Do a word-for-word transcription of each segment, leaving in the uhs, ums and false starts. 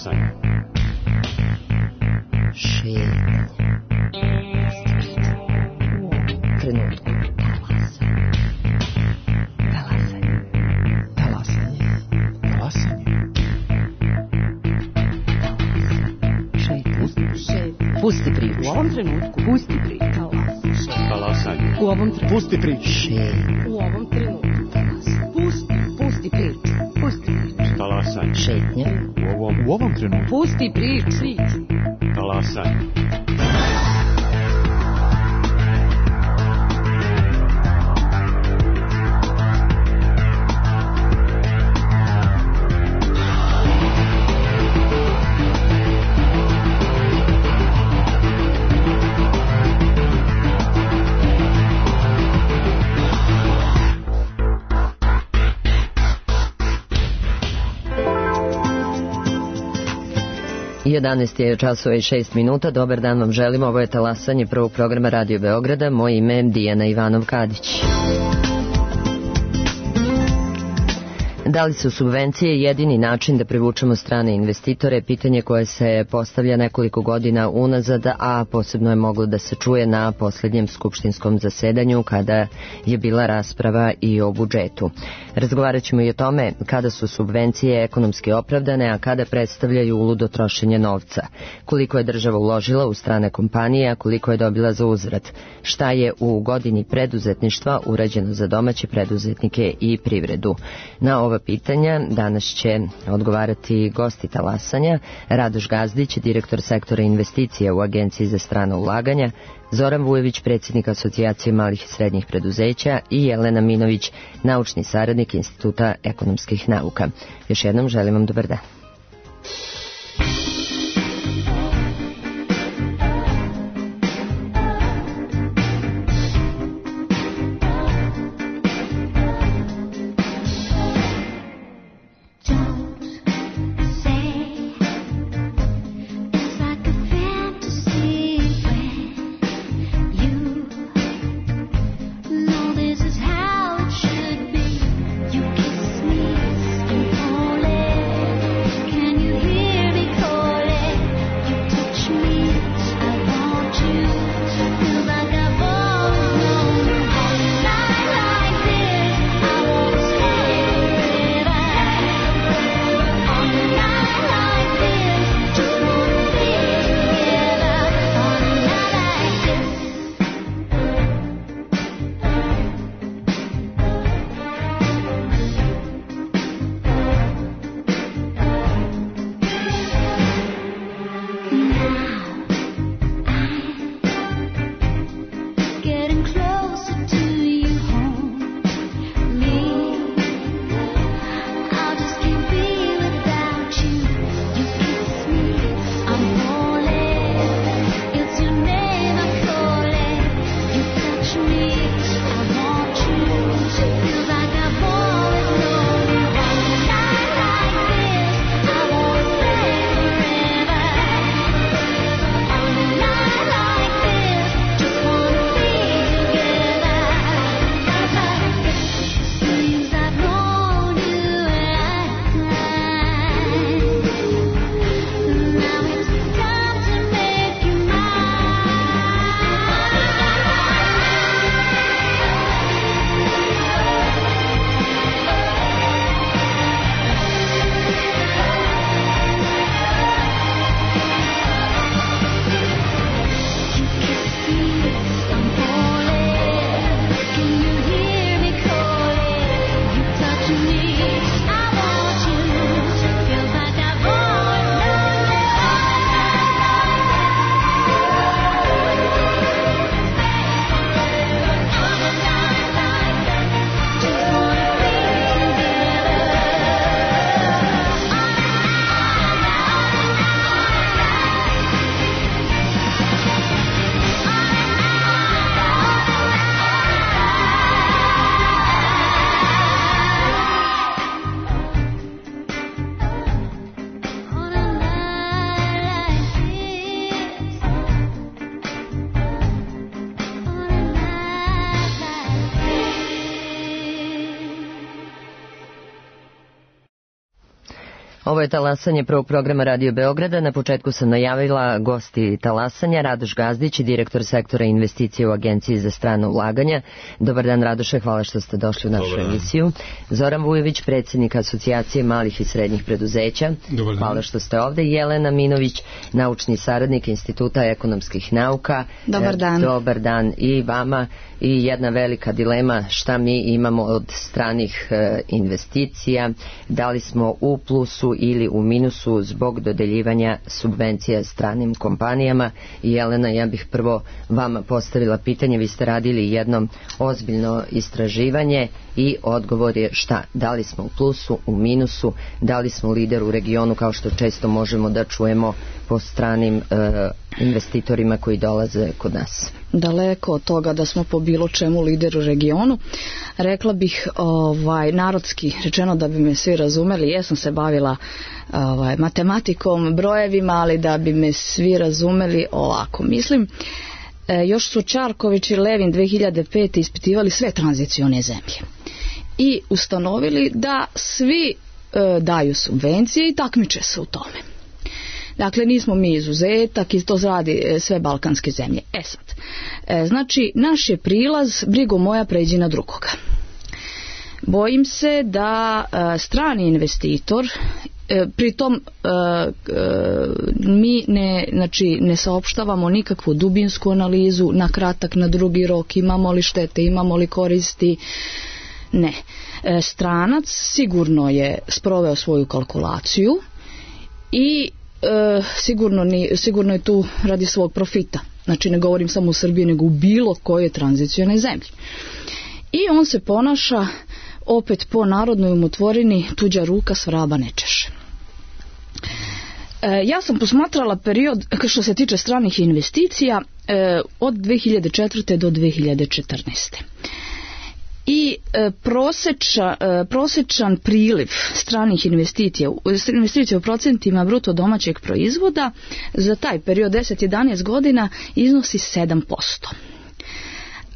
Talasanje. Šetnja. Trenutku. Talasanje. Talasanje. Talasanje. Šetnja. Šetnja. Pusti priču. U ovom trenutku. Pusti priču. Talasanje. U ovom trenutku. Pusti priču. Šetnja. U ovom trenutku. Pusti, pusti priču. Pusti priču. Talasanje. Šetnja. U ovom, U ovom trenutku. Pusti priču. talasanje. jedanaest je časova i šest minuta. Dobar dan vam želim. Ovo je talasanje prvog programa Radio Beograda. Moje ime je Dijana Ivanov-Kadić. Da li su subvencije jedini način da privučemo strane investitore? Pitanje koje se postavlja nekoliko godina unazad, a posebno je moglo da se čuje na posljednjem skupštinskom zasedanju kada je bila rasprava i o budžetu. Razgovarat ćemo i o tome kada su subvencije ekonomski opravdane, a kada predstavljaju uludo trošenje novca. Koliko je država uložila u strane kompanije, a koliko je dobila za uzvrat. Šta je u godini preduzetništva urađeno za domaće preduzetnike i privredu? Na ova pitanja danas će odgovarati gosti talasanja: Radoš Gazdić, direktor sektora investicija u Agenciji za strana ulaganja, Zoran Vujević, predsjednik Asocijacije malih i srednjih preduzeća i Jelena Minović, naučni saradnik Instituta ekonomskih nauka. Još jednom želim vam dobar dan. Ovo je talasanje prvog programa Radio Beograda. Na početku sam najavila gosti talasanja, Radoš Gazdić, direktor sektora investicije u Agenciji za strano ulaganja. Dobar dan, Radoše, hvala što ste došli u našu emisiju. Zoran Vujović, predsjednik Asocijacije malih i srednjih preduzeća. Hvala što ste ovde. Jelena Minović, naučni saradnik Instituta ekonomskih nauka. Dobar dan. Dobar dan i vama. I jedna velika dilema, šta mi imamo od stranih e, investicija, da li smo u plusu ili u minusu zbog dodeljivanja subvencija stranim kompanijama. I Jelena, ja bih prvo vama postavila pitanje, vi ste radili jedno ozbiljno istraživanje i odgovor je šta, da li smo u plusu, u minusu, da li smo lider u regionu kao što često možemo da čujemo po stranim e, investitorima koji dolaze kod nas. Daleko od toga da smo po bilo čemu lider u regionu. Rekla bih ovaj, narodski rečeno da bi me svi razumeli, jesam se bavila ovaj, matematikom, brojevima, ali da bi me svi razumeli ovako. Mislim, e, još su Čarković i Levin dve hiljade pete ispitivali sve tranzicione zemlje i ustanovili da svi e, daju subvencije i takmiče se u tome. Dakle, nismo mi izuzetak i to radi sve balkanske zemlje. E sad, e, znači, naš je prilaz, brigo moja pređi na drugoga. Bojim se da e, strani investitor, e, pritom e, e, mi ne, znači, ne saopštavamo nikakvu dubinsku analizu, na kratak, na drugi rok, imamo li štete, imamo li koristi, ne. E, stranac sigurno je sproveo svoju kalkulaciju i E, sigurno, ni, sigurno je tu radi svog profita. Znači ne govorim samo u Srbiji, nego u bilo koje tranzicione zemlji. I on se ponaša opet po narodnoj umotvorini, tuđa ruka s vraba ne češe. E, ja sam posmatrala period što se tiče stranih investicija e, od dve hiljade četvrte do dve hiljade četrnaeste. I e, proseča, e, prosečan priliv stranih investicija, investicija u procentima bruto domaćeg proizvoda za taj period deset do jedanaest godina iznosi sedam posto.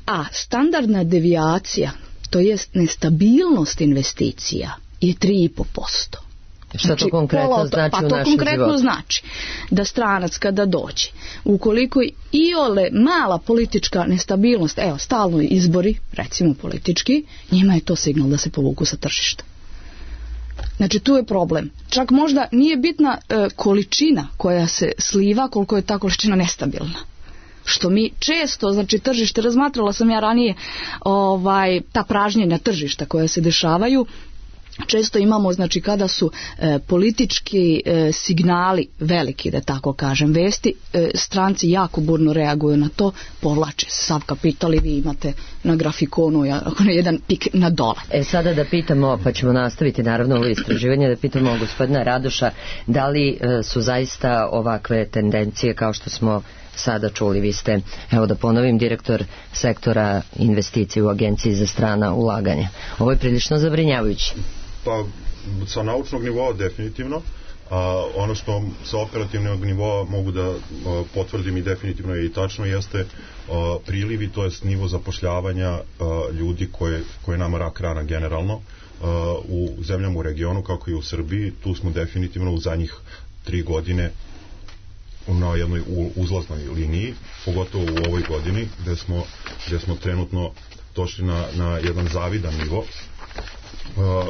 A standardna devijacija, to jest nestabilnost investicija, je tri i po posto. Šta znači, to konkretno pola, znači pa u to našem konkretno životu? Znači da stranac kada dođe, ukoliko iole mala politička nestabilnost, evo stalno izbori, recimo politički, njima je to signal da se povuku sa tržišta. Znači tu je problem. Čak možda nije bitna e, količina koja se sliva, koliko je ta količina nestabilna. Što mi često, znači tržište, razmatrala sam ja ranije ovaj, ta pražnjenja tržišta koja se dešavaju, često imamo, znači kada su e, politički e, signali veliki, da tako kažem, vesti, e, stranci jako burno reaguju na to, povlače sav kapital i vi imate na grafikonu jedan pik na dole. E sada da pitamo, pa ćemo nastaviti naravno ovo istraživanje, da pitamo gospodina Radoša, da li e, su zaista ovakve tendencije kao što smo sada čuli, vi ste, evo da ponovim, direktor sektora investicije u Agenciji za strana ulaganja. Ovo je prilično zabrinjavajuće. Pa sa naučnog nivoa definitivno, a ono što sa operativnog nivoa mogu da a, potvrdim i definitivno je i tačno jeste a, prilivi, to jest nivo zapošljavanja a, ljudi koje, koje nama rak rana generalno a, u zemljama u regionu kako i u Srbiji. Tu smo definitivno u zadnjih tri godine na jednoj uzlaznoj liniji, pogotovo u ovoj godini gde smo, gde smo trenutno došli na, na jedan zavidan nivo. Uh,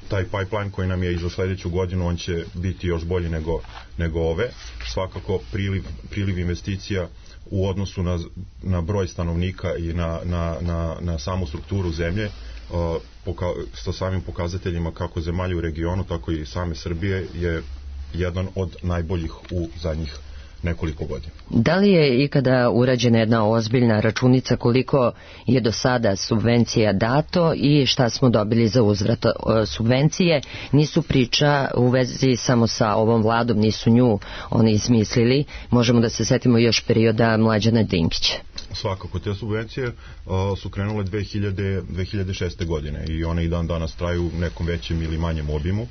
taj pipeline koji nam je i za sljedeću godinu, on će biti još bolji nego, nego ove. Svakako priliv, priliv investicija u odnosu na, na broj stanovnika i na, na, na, na samu strukturu zemlje, uh, poka, sa samim pokazateljima kako zemalja u regionu, tako i same Srbije, je jedan od najboljih u zadnjih nekoliko godina. Da li je ikada urađena jedna ozbiljna računica koliko je do sada subvencija dato i šta smo dobili za uzvrat? Subvencije nisu priča u vezi samo sa ovom vladom, nisu nju oni izmislili. Možemo da se setimo još perioda Mlađana Dinkića. Svakako, te subvencije uh, su krenule dve hiljade, dve hiljade šeste godine i one i dan danas traju u nekom većem ili manjem obimu.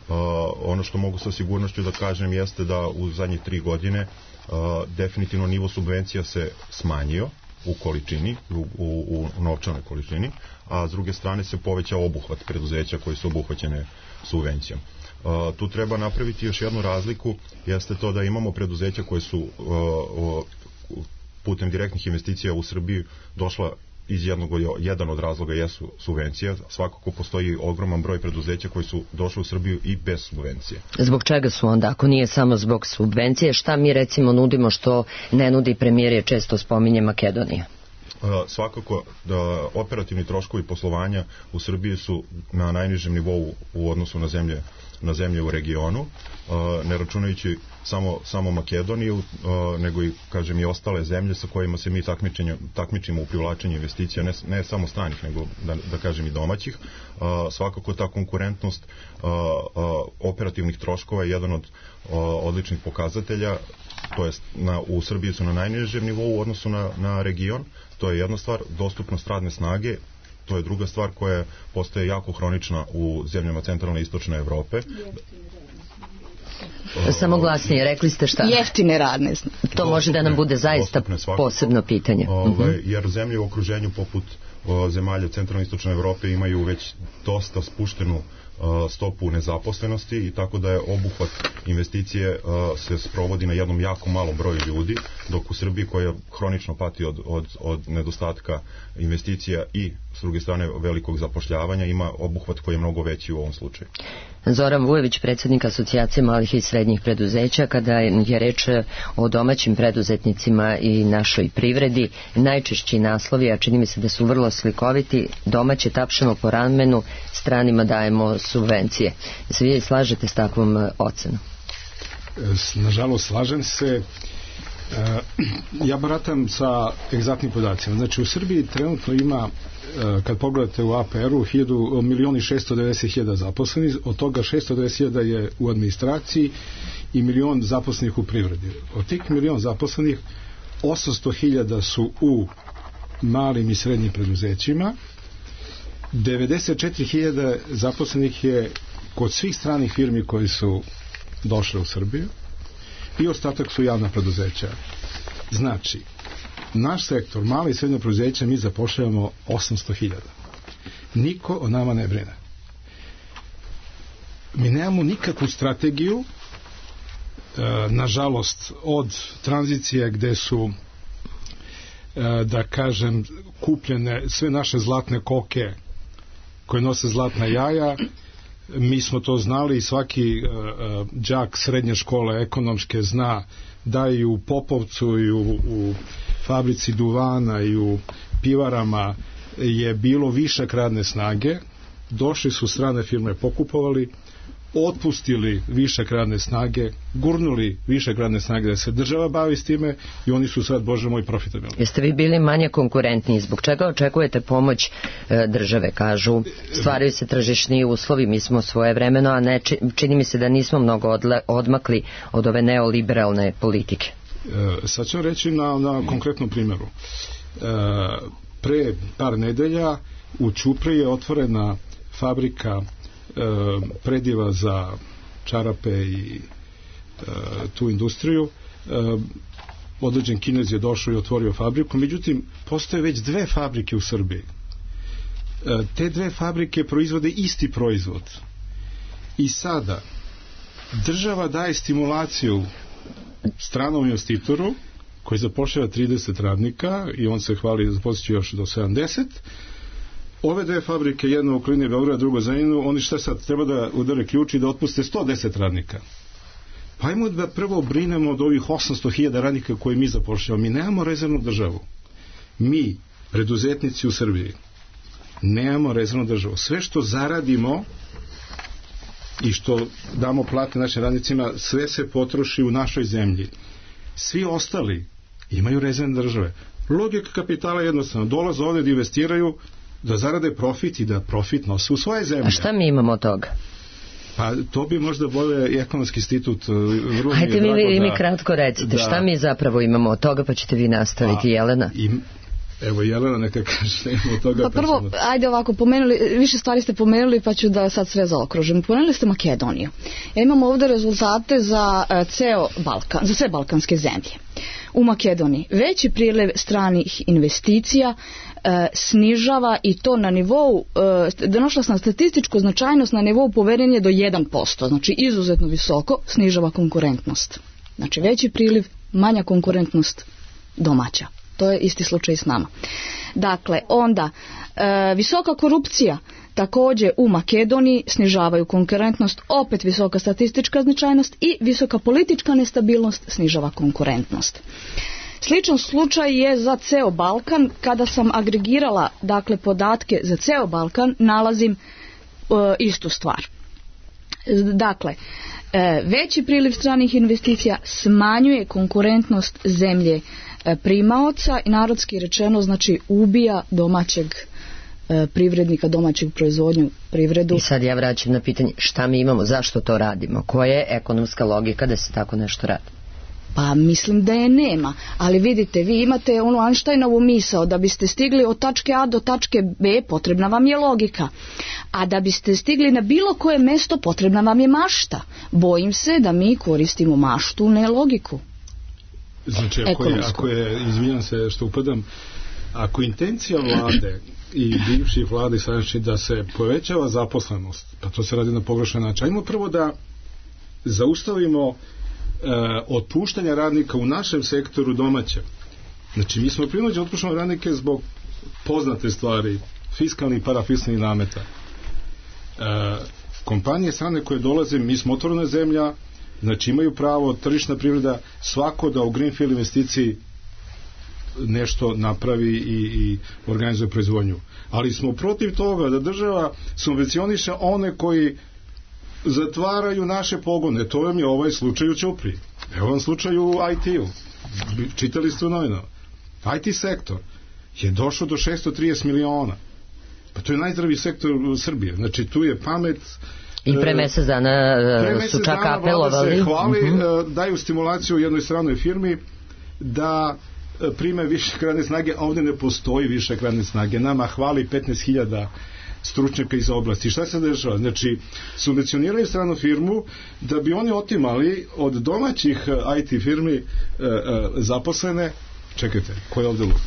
Uh, ono što mogu sa sigurnošću da kažem jeste da u zadnje tri godine uh, definitivno nivo subvencija se smanjio u količini, u, u, u novčanoj količini, a s druge strane se povećao obuhvat preduzeća koji su obuhvaćene subvencijom. Uh, tu treba napraviti još jednu razliku, jeste to da imamo preduzeća koje su uh, uh, putem direktnih investicija u Srbiji došla iz jednog, jedan od razloga jesu subvencije. Svakako postoji ogroman broj preduzeća koji su došli u Srbiju i bez subvencije. Zbog čega su onda, ako nije samo zbog subvencije, šta mi recimo nudimo što ne nudi premijer, je često spominje Makedonija? Uh, svakako da operativni troškovi poslovanja u Srbiji su na najnižem nivou u odnosu na zemlje na zemlje u regionu, uh, ne računajući samo, samo Makedoniju, uh, nego i, kažem, i ostale zemlje sa kojima se mi takmičimo u privlačenju investicija, ne, ne samo stranih, nego da, da kažem i domaćih. Uh, svakako ta konkurentnost uh, uh, operativnih troškova je jedan od uh, odličnih pokazatelja, to jest na, u Srbiji su na najnižem nivou u odnosu na, na region, to je jedna stvar. Dostupnost radne snage, to je druga stvar koja postaje jako hronična u zemljama centralne i istočne Evrope. Samo glasnije, rekli ste šta? Jeftine radne snage. To dostupne, može da nam bude zaista posebno pitanje. Ovaj, jer zemlje u okruženju poput o, zemalja centralne i istočne Evrope imaju već dosta spuštenu stopu nezaposlenosti i tako da je obuhvat investicije uh, se sprovodi na jednom jako malom broju ljudi, dok u Srbiji koja hronično pati od, od, od nedostatka investicija i s druge strane velikog zapošljavanja ima obuhvat koji je mnogo veći u ovom slučaju. Zoran Vujović, predsjednik Asocijacije malih i srednjih preduzeća, kada je reč o domaćim preduzetnicima i našoj privredi, najčešći naslovi, a čini mi se da su vrlo slikoviti: domaće tapšemo po ramenu, stranima dajemo subvencije. Se vi slažete s takvom ocenom? Nažalost, slažem se. Ja baratam sa egzaktnim podacima. Znači, u Srbiji trenutno ima, kad pogledate u A P R-u, milion i šesto devedeset hiljada zaposlenih, od toga šesto devedeset hiljada je u administraciji i milion zaposlenih u privredi. Od tih milion zaposlenih, osamsto hiljada su u malim i srednjim preduzećima, devedeset četiri hiljade zaposlenih je kod svih stranih firmi koji su došle u Srbiju i ostatak su javna preduzeća. Znači, naš sektor, mala i srednja preduzeća, mi zapošljavamo osamsto hiljada. Niko o nama ne brine. Mi nemamo nikakvu strategiju, e, nažalost, od tranzicije gde su, e, da kažem, kupljene sve naše zlatne koke koje nose zlatna jaja. Mi smo to znali i svaki uh, uh, đak srednje škole ekonomske zna da i u Popovcu i u, u fabrici duvana i u pivarama je bilo višak radne snage. Došli su strane firme, pokupovali, otpustili višak radne snage, gurnuli višak radne snage da se država bavi s time i oni su sad, Bože moj, profitabilni. Jeste vi bili manje konkurentni? Zbog čega očekujete pomoć e, države? Kažu, stvaraju se tržišni uslovi, mi smo svoje vremeno, a ne, čini mi se da nismo mnogo odle, odmakli od ove neoliberalne politike. E, sad ću reći na, na konkretnom primjeru. E, pre par nedelja u Ćupriji je otvorena fabrika prediva za čarape i e, tu industriju. E, određen Kinez je došao i otvorio fabriku, međutim postoje već dve fabrike u Srbiji. E, te dve fabrike proizvode isti proizvod i sada država daje stimulaciju stranom investitoru koji zapošljava trideset radnika i on se hvali da zaposliće još do sedamdeset. Ove dve fabrike, jedna u okolini Beograda, drugo za Zrenjaninu, oni šta sad, treba da udare ključ i da otpuste sto deset radnika. Pa ajmo da prvo brinemo od ovih osamsto hiljada radnika koje mi zapošljavamo. Mi nemamo rezervnu državu. Mi, preduzetnici u Srbiji, nemamo rezervnu državu. Sve što zaradimo i što damo plate našim radnicima, sve se potroši u našoj zemlji. Svi ostali imaju rezervne države. Logika kapitala je jednostavno. Dolaze ovdje da investiraju, da zarade profit i da profit nose u svoje zemlje. A šta mi imamo od toga? Pa to bi možda bolje ekonomski institut. Vrlo Hajde mi, mi, mi, da, mi kratko recite, da, šta mi zapravo imamo od toga, pa ćete vi nastaviti, a, Jelena? Im, Evo Jelena neka kaže nema od toga. Pa prvo, ajde ovako, pomenuli, više stvari ste pomenuli pa ću da sad sve zaokružim. Pomenuli ste Makedoniju. Ja imam ovdje rezultate za uh, ceo Balkan, za sve balkanske zemlje. U Makedoniji veći priliv stranih investicija e, snižava i to na nivou, e, došla sam statističku značajnost na nivou poverenja do jedan posto, znači izuzetno visoko, snižava konkurentnost. Znači veći priliv, manja konkurentnost domaća. To je isti slučaj s nama. Dakle, onda e, visoka korupcija također u Makedoniji snižavaju konkurentnost, opet visoka statistička značajnost i visoka politička nestabilnost snižava konkurentnost. Sličan slučaj je za ceo Balkan. Kada sam agregirala dakle podatke za ceo Balkan, nalazim e, istu stvar. Dakle, e, veći priliv stranih investicija smanjuje konkurentnost zemlje e, primaoca i narodski rečeno znači ubija domaćeg privrednika, domaćeg proizvodnju, privredu. I sad ja vraćam na pitanje šta mi imamo, zašto to radimo, koja je ekonomska logika da se tako nešto radi? Pa mislim da je nema, ali vidite, vi imate onu Einsteinovu misao, da biste stigli od tačke A do tačke B potrebna vam je logika, a da biste stigli na bilo koje mesto potrebna vam je mašta. Bojim se da mi koristimo maštu, ne logiku. Znači, ako je, ako je izvinjam se što upadam, ako intencija vlade i bivših vlade znači da se povećava zaposlenost, pa to se radi na pogrešan način. Ajmo prvo da zaustavimo e, otpuštanje radnika u našem sektoru domaćem. Znači, mi smo prinuđeni otpuštamo radnike zbog poznate stvari, fiskalnih i parafiskalnih nameta. E, kompanije strane koje dolaze, mi smo otvorena zemlja, znači imaju pravo, tržišna privreda, svako da u greenfield investiciji nešto napravi i, i organizuje proizvodnju. Ali smo protiv toga da država subvencioniše one koji zatvaraju naše pogone. To vam je ovaj slučaj u Ćupriji. Evo vam slučaj u I T-u. Čitali ste u novinama. I T sektor je došao do šessto trideset miliona. Pa to je najzdraviji sektor u Srbije. Znači tu je pamet. I pre mesec dana su čak apelovali. Se hvali, uh-huh. daju stimulaciju jednoj stranoj firmi da prime više radne snage, a ovdje ne postoji više radne snage. Nama hvali petnaest hiljada stručnjaka iz oblasti. Šta se dešava? Znači, subvencioniraju stranu firmu da bi oni otimali od domaćih I T firmi e, e, zaposlene. Čekajte, ko je ovdje lud?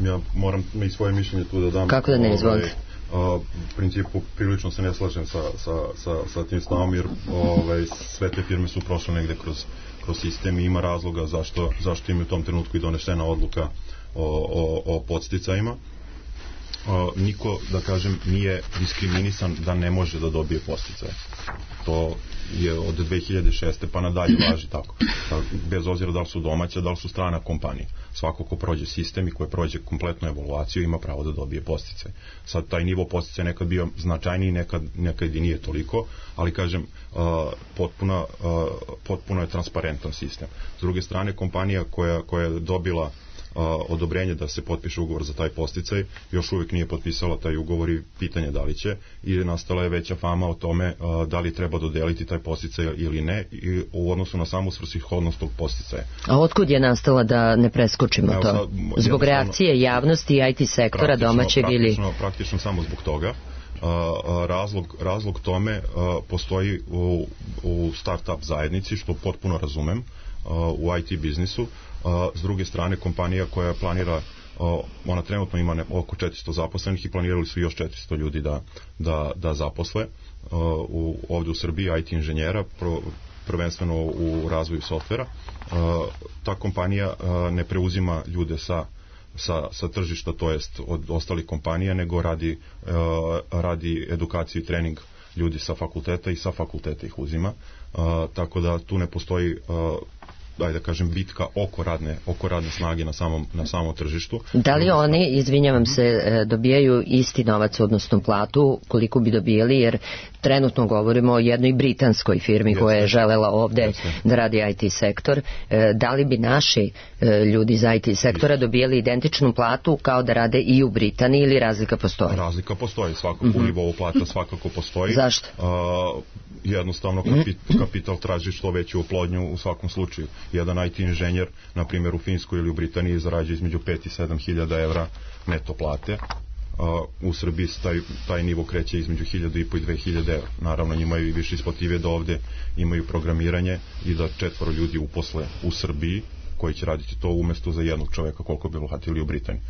Ja moram i svoje mišljenje tu da dam. Kako da ne izvolite? Uh, u principu prilično se ne slažem sa, sa, sa, sa tim stavom, jer ovaj, sve te firme su prošle negde kroz, kroz sistem i ima razloga zašto, zašto im je u tom trenutku i donešena odluka o, o, o podsticajima. Uh, niko, da kažem, nije diskriminisan da ne može da dobije podsticaje. To je od dve hiljade šeste pa nadalje važi tako. Bez obzira da li su domaća, da li su strana kompanija. Svako ko prođe sistem i ko prođe kompletnu evaluaciju ima pravo da dobije podsticaj. Sad taj nivo podsticaja nekad bio značajniji, nekad, nekad i nije toliko, ali kažem, uh, potpuno, uh, potpuno je transparentan sistem. S druge strane, kompanija koja, koja je dobila Uh, odobrenje da se potpiše ugovor za taj podsticaj, još uvijek nije potpisala taj ugovor i pitanje da li će, i nastala je veća fama o tome uh, da li treba dodeliti taj podsticaj ili ne, i u odnosu na samu svrsishodnost tog podsticaja. A otkud je nastala, da ne preskočimo Evo, to? Sad, zbog reakcije javnosti i I T sektora domaćeg ili... Praktično samo zbog toga. Uh, razlog, razlog tome uh, postoji u, u start-up zajednici, što potpuno razumem, uh, u I T biznisu. Uh, s druge strane, kompanija koja planira, uh, ona trenutno ima ne, oko četiristo zaposlenih i planirali su još četiristo ljudi da, da, da zaposle uh, u, ovdje u Srbiji, I T inženjera, pro, prvenstveno u razvoju softvera. Uh, ta kompanija uh, ne preuzima ljude sa Sa, sa tržišta, to jest od ostalih kompanija, nego radi, uh, radi edukaciju i trening ljudi sa fakulteta i sa fakulteta ih uzima. Uh, tako da tu ne postoji uh, daj da kažem bitka oko radne, oko radne snage na samom, na samom tržištu. Da li oni, izvinjavam se, dobijaju isti novac, odnosno platu, koliko bi dobijali, jer trenutno govorimo o jednoj britanskoj firmi koja je želela ovdje Jeste. da radi I T sektor. Da li bi naši ljudi iz I T sektora dobijali identičnu platu kao da rade i u Britaniji, ili razlika postoji? Razlika postoji, svakako mm-hmm. u nivou plata svakako postoji. Zašto? Uh, jednostavno kapit, kapital traži što veću oplodnju u svakom slučaju. jedan I T inženjer, na primjer u Finskoj ili u Britaniji, zarađuje između pet i sedam hiljada evra neto plate. Uh, u Srbiji taj, taj nivo kreće između hiljadu i po i dve hiljade evra. Naravno, njima je više isplative da ovde imaju programiranje i da četvoro ljudi uposle u Srbiji koji će raditi to umjesto za jednog čoveka koliko bi uhvatili u Britaniji.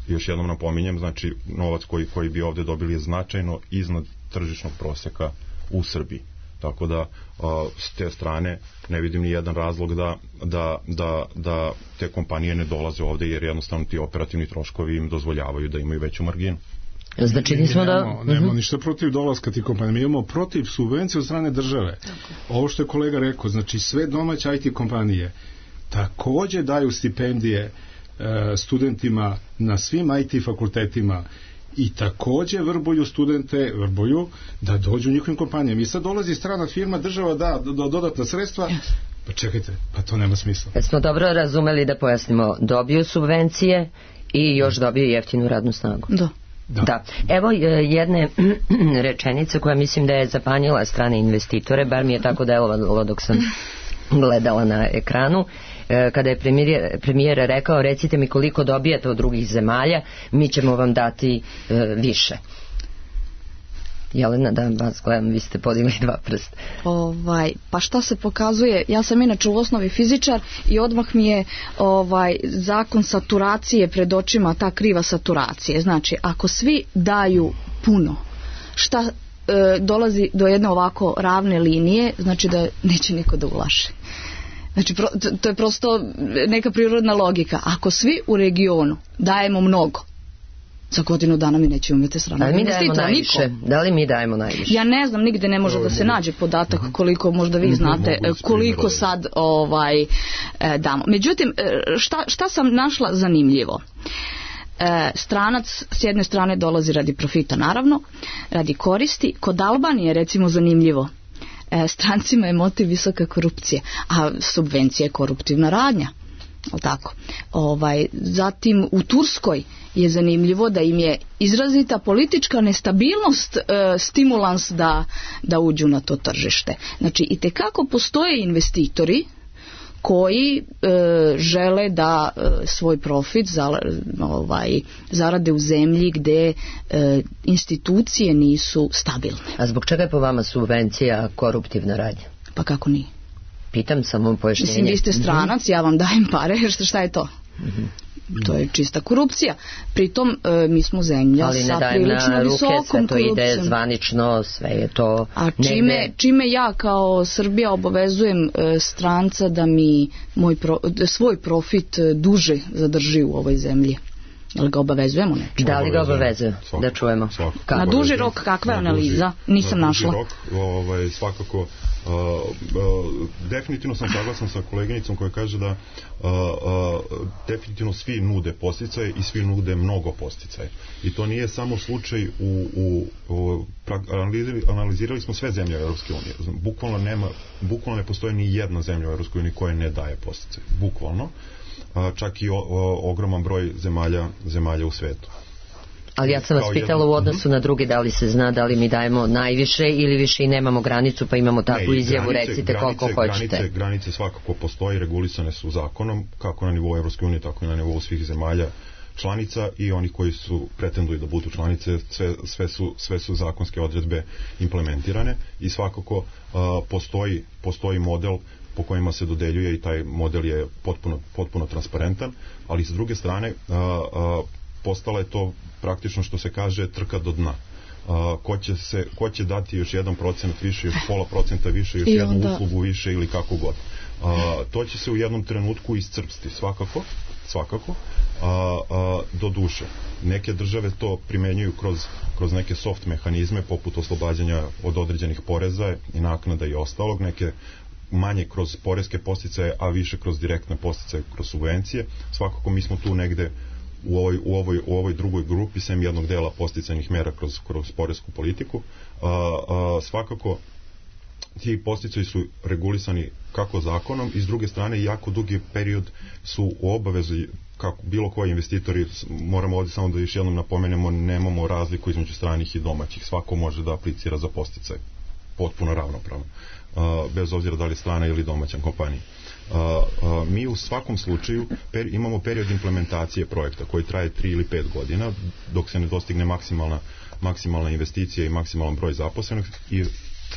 Još jednom napominjem, znači novac koji, koji bi ovde dobili je značajno iznad tržišnog proseka u Srbiji. Tako da a, s te strane ne vidim ni jedan razlog da, da, da, da te kompanije ne dolaze ovde, jer jednostavno ti operativni troškovi im dozvoljavaju da imaju veću marginu. Znači nismo da... Nemamo, nemamo ništa protiv dolaska tih kompanija, mi imamo protiv subvencije od strane države. Ovo što je kolega rekao, znači sve domaće I T kompanije takođe daju stipendije e, studentima na svim I T fakultetima i takođe vrbuju studente, vrbuju da dođu u njihovim kompanijama. I sad dolazi strana firma, država da do, do, dodatna sredstva, pa čekajte, pa to nema smisla. Kad smo dobro razumeli, da pojasnimo, dobiju subvencije i još dobiju jeftinu radnu snagu. Da. Da. da. Evo jedne rečenice koja mislim da je zapanjila strane investitore, bar mi je tako delovalo dok sam gledala na ekranu, kada je premijer, premijer rekao, recite mi koliko dobijate od drugih zemalja, mi ćemo vam dati e, više. Jelena, da vas gledam, vi ste podigli dva prsta. Ovaj, pa šta se pokazuje, ja sam inače u osnovi fizičar i odmah mi je ovaj, zakon saturacije pred očima, ta kriva saturacije. Znači, ako svi daju puno, šta e, dolazi do jedne ovako ravne linije, znači da neće niko da ulaže. Znači, pro, to je prosto neka prirodna logika. Ako svi u regionu dajemo mnogo, za godinu dana mi neće umjeti strana. Ali mi dajemo najviše. Niko. Da li mi dajemo najviše? Ja ne znam, nigde ne može da se nađe podatak koliko, možda vi znate, koliko sad ovaj, damo. Međutim, šta, šta sam našla zanimljivo? Stranac s jedne strane dolazi radi profita, naravno, radi koristi. Kod Albanije, recimo, zanimljivo, strancima je motiv visoka korupcija, a subvencija je koruptivna radnja. Tako. Ovaj, zatim u Turskoj je zanimljivo da im je izrazita politička nestabilnost e, stimulans da, da uđu na to tržište. Znači, itekako postoje investitori koji e, žele da e, svoj profit za, ovaj, zarade u zemlji gde e, institucije nisu stabilne. A zbog čega je po vama subvencija koruptivna radnja? Pa kako nije? Pitam samo pojašnjenje. Mislim, vi ste stranac, mm-hmm. ja vam dajem pare, šta, šta je to? Mm-hmm. To je čista korupcija. Pritom e, mi smo zemlja ali sa prilično visokom korupcijom. Ali ne dajem na ruke, sve to ide zvanično, sve je to... A čime, negde... čime ja kao Srbija obavezujem e, stranca da mi moj pro, svoj profit duže zadrži u ovoj zemlji? Jel ga obavezujemo nešto? Da li ga obavezuju? Da čujemo. Svakako. Na duži rok kakva je analiza? Nisam na našla. Rok, ovaj, svakako uh, uh, definitivno sam saglasan sa koleginicom koja kaže da uh, uh, definitivno svi nude podsticaje i svi nude mnogo podsticaje. I to nije samo slučaj u, u, u analizirali, analizirali smo sve zemlje Europske unije. Bukvalno nema, bukvalno ne postoji ni jedna zemlja u Europskoj uniji koja ne daje podsticaje. Bukvalno. Čak i o, o, ogroman broj zemalja, zemalja u svetu. Ali ja sam vas pitala u odnosu na druge, da li se zna da li mi dajemo najviše ili više i nemamo granicu, pa imamo takvu ne, izjavu, granice, recite granice, koliko hoćete. Granice, granice svakako postoji, regulisane su zakonom, kako na nivou Evropske unije, tako i na nivou svih zemalja članica i oni koji su pretenduju da budu članice, sve, sve, su, sve su zakonske odredbe implementirane i svakako uh, postoji, postoji model po kojima se dodeljuje i taj model je potpuno, potpuno transparentan, ali s druge strane a, a, postala je to praktično što se kaže trka do dna. A, ko, će se, ko će dati još jedan procent više, još pola procenta više, još I jednu onda... uslugu više ili kako god. A, to će se u jednom trenutku iscrpsti svakako, svakako a, a, do duše. Neke države to primenjuju kroz, kroz neke soft mehanizme poput oslobađanja od određenih poreza i naknada i ostalog, neke manje kroz poreske podsticaje, a više kroz direktne podsticaje, kroz subvencije. Svakako mi smo tu negde u ovoj, u ovoj, u ovoj drugoj grupi, sem jednog dela podsticajnih mera kroz, kroz poresku politiku. A, a, svakako ti podsticaji su regulisani kako zakonom i s druge strane jako dugi period su u obavezi kako bilo koji investitori, moramo ovdje samo da još jednom napomenemo, nemamo razliku između stranih i domaćih. Svako može da aplicira za podsticaj potpuno ravnopravno. Uh, bez obzira da li strana ili domaća kompanija. a, a, mi u svakom slučaju per, imamo period implementacije projekta koji traje tri ili pet godina dok se ne dostigne maksimalna, maksimalna investicija i maksimalan broj zaposlenih i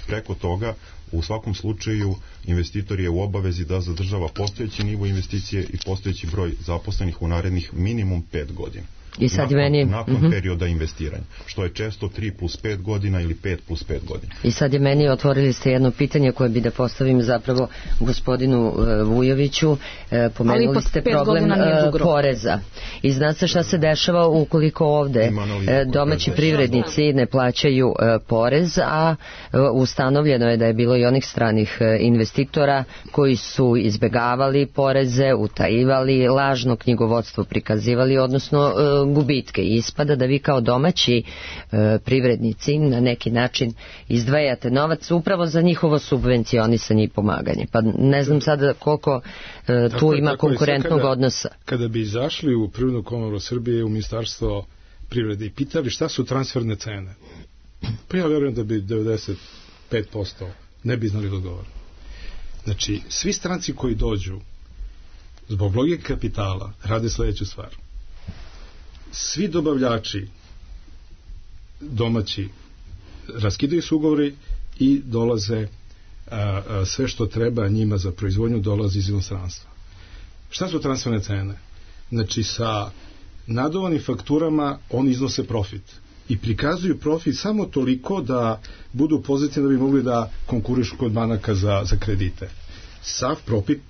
preko toga u svakom slučaju investitor je u obavezi da zadržava postojeći nivo investicije i postojeći broj zaposlenih u narednih minimum pet godina. I sad nakon, meni... nakon uh-huh. perioda investiranja, što je često tri plus pet godina ili pet plus pet godina. I sad je meni otvorili ste jedno pitanje koje bi da postavim zapravo gospodinu uh, Vujoviću. Uh, pomenuli ste problem uh, poreza. I zna se šta se dešava ukoliko ovde uh, domaći privrednici ne plaćaju uh, porez, a uh, ustanovljeno je da je bilo i onih stranih uh, investitora koji su izbegavali poreze, utajivali, lažno knjigovodstvo prikazivali, odnosno uh, gubitke. I ispada da vi kao domaći e, privrednici na neki način izdvajate novac upravo za njihovo subvencionisanje i pomaganje. Pa ne znam sada koliko e, tu tako, ima tako konkurentnog kada, odnosa. Kada bi izašli u Privrednu komoru Srbije, u Ministarstvo privrede i pitali šta su transferne cene, pa ja verujem da bi devedeset pet posto ne bi znali da odgovore. Znači, svi stranci koji dođu zbog logike kapitala rade sledeću stvar. Svi dobavljači domaći raskidaju se ugovori i dolaze a, a, sve što treba njima za proizvodnju dolazi iz inostranstva. Šta su transferne cene? Znači sa nadovanim fakturama oni iznose profit i prikazuju profit samo toliko da budu pozitivni da bi mogli da konkurišu kod banaka za, za kredite. Sav profit,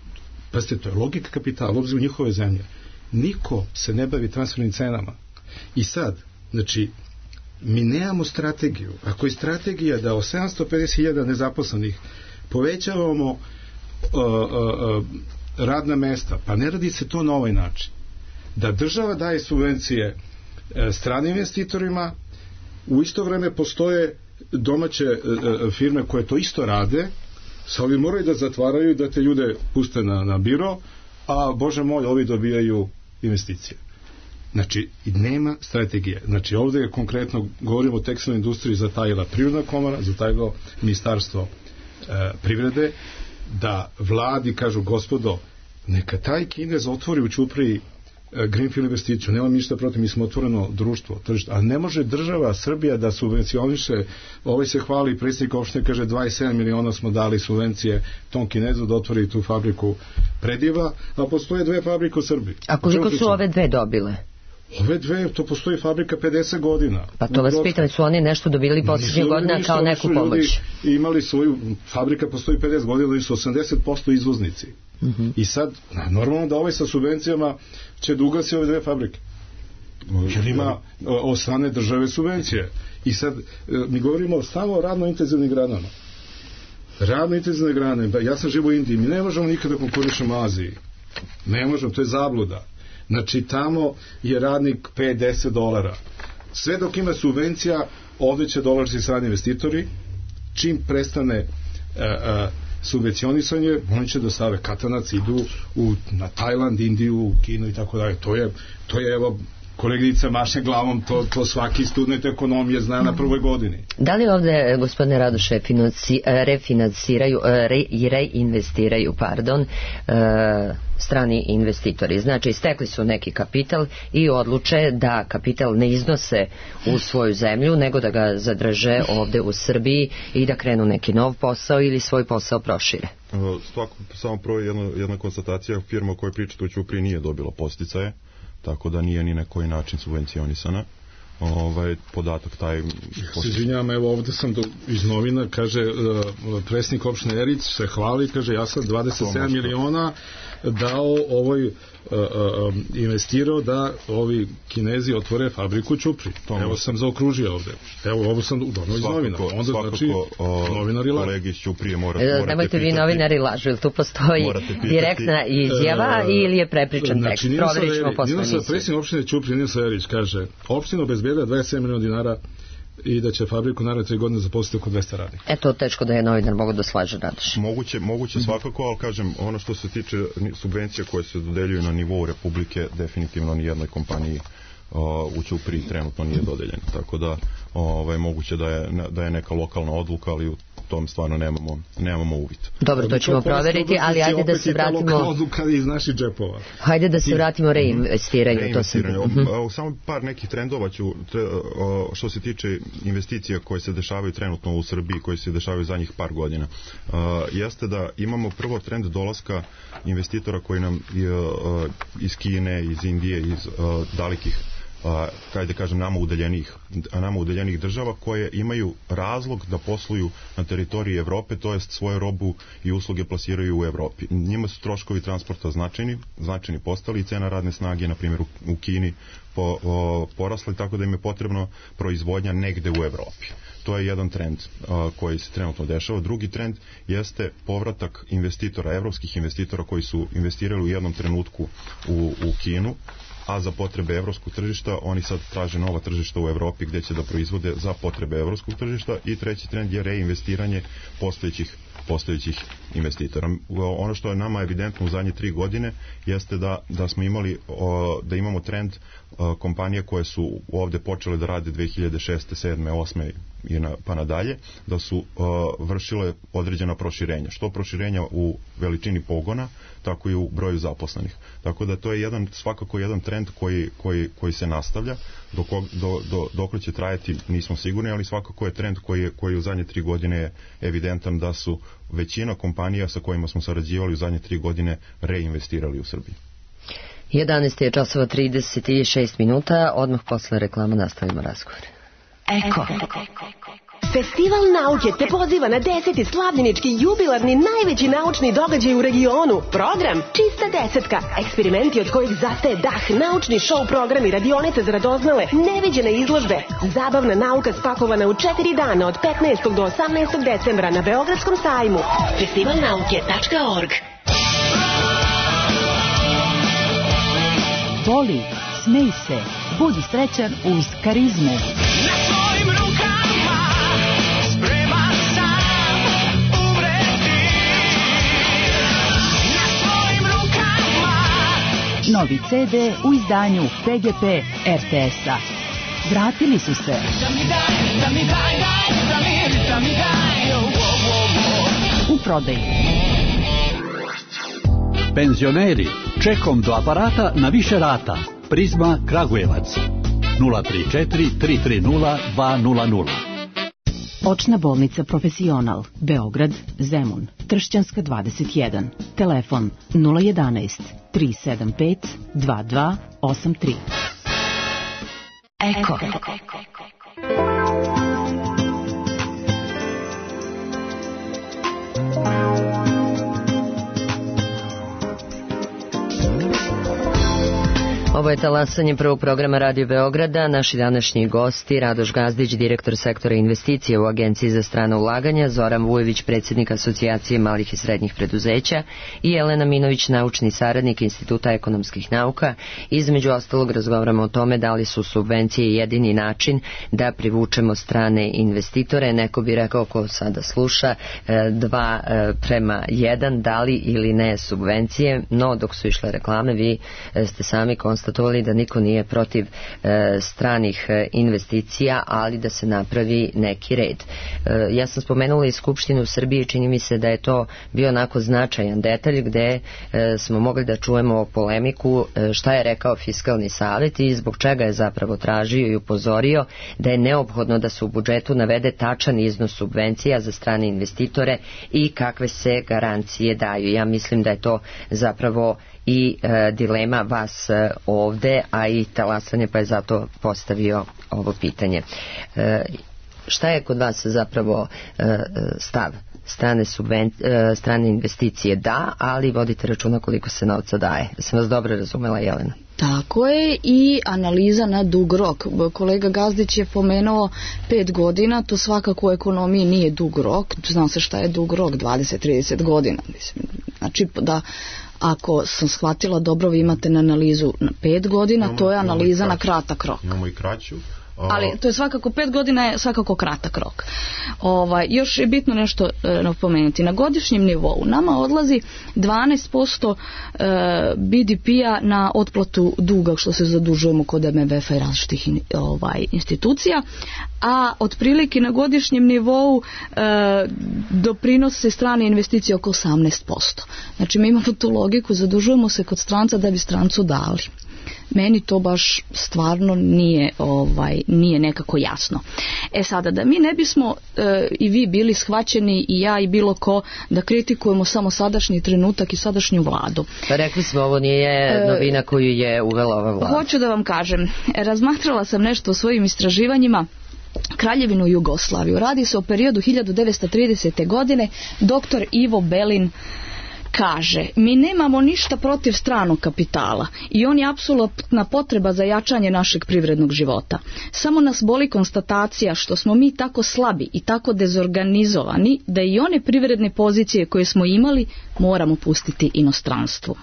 pazite, to je logika kapitala, obzir u njihove zemlje. Niko se ne bavi transfernim cenama. I sad, znači, mi nemamo strategiju. Ako je strategija da o sedamsto pedeset hiljada nezaposlenih povećavamo uh, uh, uh, radna mesta, pa ne radi se to na ovaj način. Da država daje subvencije uh, stranim investitorima, u isto vreme postoje domaće uh, firme koje to isto rade, sa ovi moraju da zatvaraju da te ljude puste na, na biro, a Bože moj, ovi dobijaju investicije. Znači, nema strategije. Znači, ovdje je konkretno, govorimo o tekstilnoj industriji, zatajila Privredna komora, zatajilo Ministarstvo e, privrede, da vladi kažu, gospodo, neka taj Kinez otvori u Ćupriji e, Greenfield investiciju, nema ništa protiv, mi smo otvoreno društvo, tržište, a ne može država Srbija da subvencioniše, ovaj se hvali, predsjednik opštine kaže dvadeset sedam miliona smo dali subvencije tom Kinezu da otvori tu fabriku Prediva, a postoje dve fabrike u Srbiji. A koliko su ove dve dobile? Ove dve, to postoji fabrika pedeset godina. Pa to vas pitam, su oni nešto dobili posljednje godina kao neku pomoć? Imali svoju, fabrika postoji pedeset godina i su osamdeset posto izvoznici. Uh-huh. I sad, normalno da ovaj sa subvencijama će da ugasi ove dve fabrike. Jer ima od strane države subvencije. I sad, mi govorimo samo o radno intenzivnim granama. Radno intenzivne grane, ja sam živo u Indiji, mi ne možemo nikada konkurišemo u Aziji. Ne možemo, to je zabluda. Znači, tamo je radnik pet do deset dolara. Sve dok ima subvencija, ovdje će dolaziti strani investitori. Čim prestane a, a, subvencionisanje, oni će da stave katanac, idu u, na Tajland, Indiju, Kinu i tako dalje. To je, to je, evo, koleginica maše glavom, to, to svaki student ekonomije zna na prvoj godini. Da li ovde, gospodine Radoše, financi, refinansiraju re, i reinvestiraju, pardon, e, strani investitori? Znači, stekli su neki kapital i odluče da kapital ne iznose u svoju zemlju, nego da ga zadrže ovde u Srbiji i da krenu neki nov posao ili svoj posao prošire. Svako, samo prvo jedna, jedna konstatacija, firma o kojoj pričate u Ćupriji nije dobila podsticaje, tako da nije ni na koji način subvencionisana. Ovaj podatak taj... Ja se izvinjam, evo ovdje sam do, iz novina, kaže uh, predsjednik opštine Erić se hvali, kaže ja sam dvadeset sedam miliona dao ovoj uh, uh, investirao da ovi Kinezi otvore fabriku Ćupri. Evo sam zaokružio ovdje. Evo ovo sam dono iz novina. Onda svakako, znači novinari lažu. Kolegi iz Ćuprije mora, e, morate nemojte pitati. Vi novinari lažu, ili tu postoji direktna izjava e, ili je prepričan znači, tekst? Proverit ćemo posle emisije. Predsjednik opštine Ćuprije Ninosa Erić kaže, opština obezbedila dvadeset sedam miliona dinara i da će fabriku naredne tri godine zaposliti oko dvesta radnika. Eto, teško da je novinar mogu da slaže, Radoš. Moguće, moguće svakako, ali kažem, ono što se tiče subvencija koje se dodeljuju na nivou Republike, definitivno ni jednoj kompaniji uh, u Ćupriji trenutno nije dodeljeno. Tako da ovaj, moguće da je, da je neka lokalna odluka, ali u tom stvarno nemamo, nemamo uvid. Dobro, to ćemo proveriti, ali ajde da se vratimo... iz naših džepova. Hajde da se vratimo reinvestiranju. Reinvestiranju. Samo par nekih trendova ću, što se tiče investicija koje se dešavaju trenutno u Srbiji, koje se dešavaju zadnjih par godina. Jeste da imamo prvo trend dolaska investitora koji nam iz Kine, iz Indije, iz dalekih kaj da kažem, nama udaljenih, nama udaljenih država koje imaju razlog da posluju na teritoriji Evrope, to jest svoju robu i usluge plasiraju u Evropi. Njima su troškovi transporta značajni, značajni postali i cena radne snage, na primjer u Kini, po, o, porasli, tako da im je potrebno proizvodnja negde u Evropi. To je jedan trend a, koji se trenutno dešava. Drugi trend jeste povratak investitora, evropskih investitora koji su investirali u jednom trenutku u, u Kinu, a za potrebe evropskog tržišta oni sad traže nova tržišta u Evropi gdje će da proizvode za potrebe evropskog tržišta. I treći trend je reinvestiranje postojećih postojećih investitora. Ono što je nama evidentno u zadnje tri godine jeste da, da smo imali o, da imamo trend o, kompanije koje su ovde počele da rade dve hiljade šeste, sedme, osme i na, pa nadalje, da su o, vršile određena proširenja. Što proširenja u veličini pogona, tako i u broju zaposlenih. Tako da to je jedan, svakako jedan trend koji, koji, koji se nastavlja. Dok, do, do, dok će trajati nismo sigurni, ali svakako je trend koji je, koji u zadnje tri godine je evidentan da su većina kompanija sa kojima smo sarađivali u zadnje tri godine reinvestirali u Srbiji. jedanaest je časova trideset šest minuta, odmah posle reklama nastavimo razgovor. Eko. Festival nauke te poziva na deseti slavljenički jubilarni najveći naučni događaj u regionu. Program Čista desetka. Eksperimenti od kojih zastaje dah, naučni show programi, radionice za radoznale, neviđene izložbe. Zabavna nauka spakovana u četiri dana od petnaestog do osamnaestog decembra na Beogradskom sajmu. festival nauke tačka org. Voli, smej se, budi srećan uz karizmu. Na svojim rukama spreman sam umreti. Na svojim rukama. Novi ce de u izdanju P G P R T S-a. Vratili su se. Da mi daj, da mi daj, daj, da mi, da mi daj, oh, oh, oh. U prodaju. Penzioneri, čekom do aparata na više rata. Prizma Kragujevac nula tri četiri tri tri nula dva nula nula. Očna bolnica Profesional, Beograd, Zemun, Tršćanska dvadeset jedan. Telefon nula jedanaest tri sedam pet dva dva osam tri. Eko. Ovo je talasanje prvog programa Radio Beograda. Naši današnji gosti, Radoš Gazdić, direktor sektora investicije u Agenciji za strana ulaganja, Zoran Vujović, predsjednik Asocijacije malih i srednjih preduzeća i Jelena Minović, naučni saradnik Instituta ekonomskih nauka. Između ostalog razgovaramo o tome da li su subvencije jedini način da privučemo strane investitore. Neko bi rekao, ko sada sluša, dva prema jedan, da li ili ne subvencije, no dok su išle reklame vi ste sami konstatovali da niko nije protiv e, stranih e, investicija, ali da se napravi neki red. E, ja sam spomenula i Skupštinu u Srbiji, čini mi se da je to bio onako značajan detalj gde e, smo mogli da čujemo polemiku e, šta je rekao Fiskalni savet i zbog čega je zapravo tražio i upozorio da je neophodno da se u budžetu navede tačan iznos subvencija za strane investitore i kakve se garancije daju. Ja mislim da je to zapravo i e, dilema vas e, ovde, a i talasanje, pa je zato postavio ovo pitanje. E, šta je kod vas zapravo e, stav? Strane, subven, e, strane investicije da, ali vodite računa koliko se novca daje. Da sam vas dobro razumela, Jelena. Tako je, i analiza na dug rok. Kolega Gazdić je pomenuo pet godina, to svakako u ekonomiji nije dug rok. Zna se šta je dug rok, dvadeset do trideset godina. Mislim, znači da ako sam shvatila dobro, vi imate na analizu na pet godina, imamo, to je analiza na kratak rok. Imamo i kraću, Ali to je svakako, pet godina je svakako kratak rok. Ovaj, još je bitno nešto e, napomenuti. Na godišnjem nivou nama odlazi dvanaest posto e, B D P-a na otplatu duga što se zadužujemo kod M M F-a i različitih in, ovaj, institucija, a otprilike na godišnjem nivou e, doprinose strane investicije oko osamnaest posto. Znači mi imamo tu logiku, zadužujemo se kod stranca da bi strancu dali. Meni to baš stvarno nije ovaj nije nekako jasno. E sada, da mi ne bismo e, i vi bili shvaćeni i ja i bilo ko da kritikujemo samo sadašnji trenutak i sadašnju vladu. Pa rekli smo, ovo nije novina koju je uvela ova vlada. Hoću da vam kažem, razmatrala sam nešto o svojim istraživanjima. Kraljevinu Jugoslaviju. Radi se o periodu hiljadu devetsto tridesete. godine. Doktor Ivo Belin kaže, mi nemamo ništa protiv stranog kapitala i on je apsolutna potreba za jačanje našeg privrednog života. Samo nas boli konstatacija što smo mi tako slabi i tako dezorganizovani da i one privredne pozicije koje smo imali moramo pustiti inostranstvu.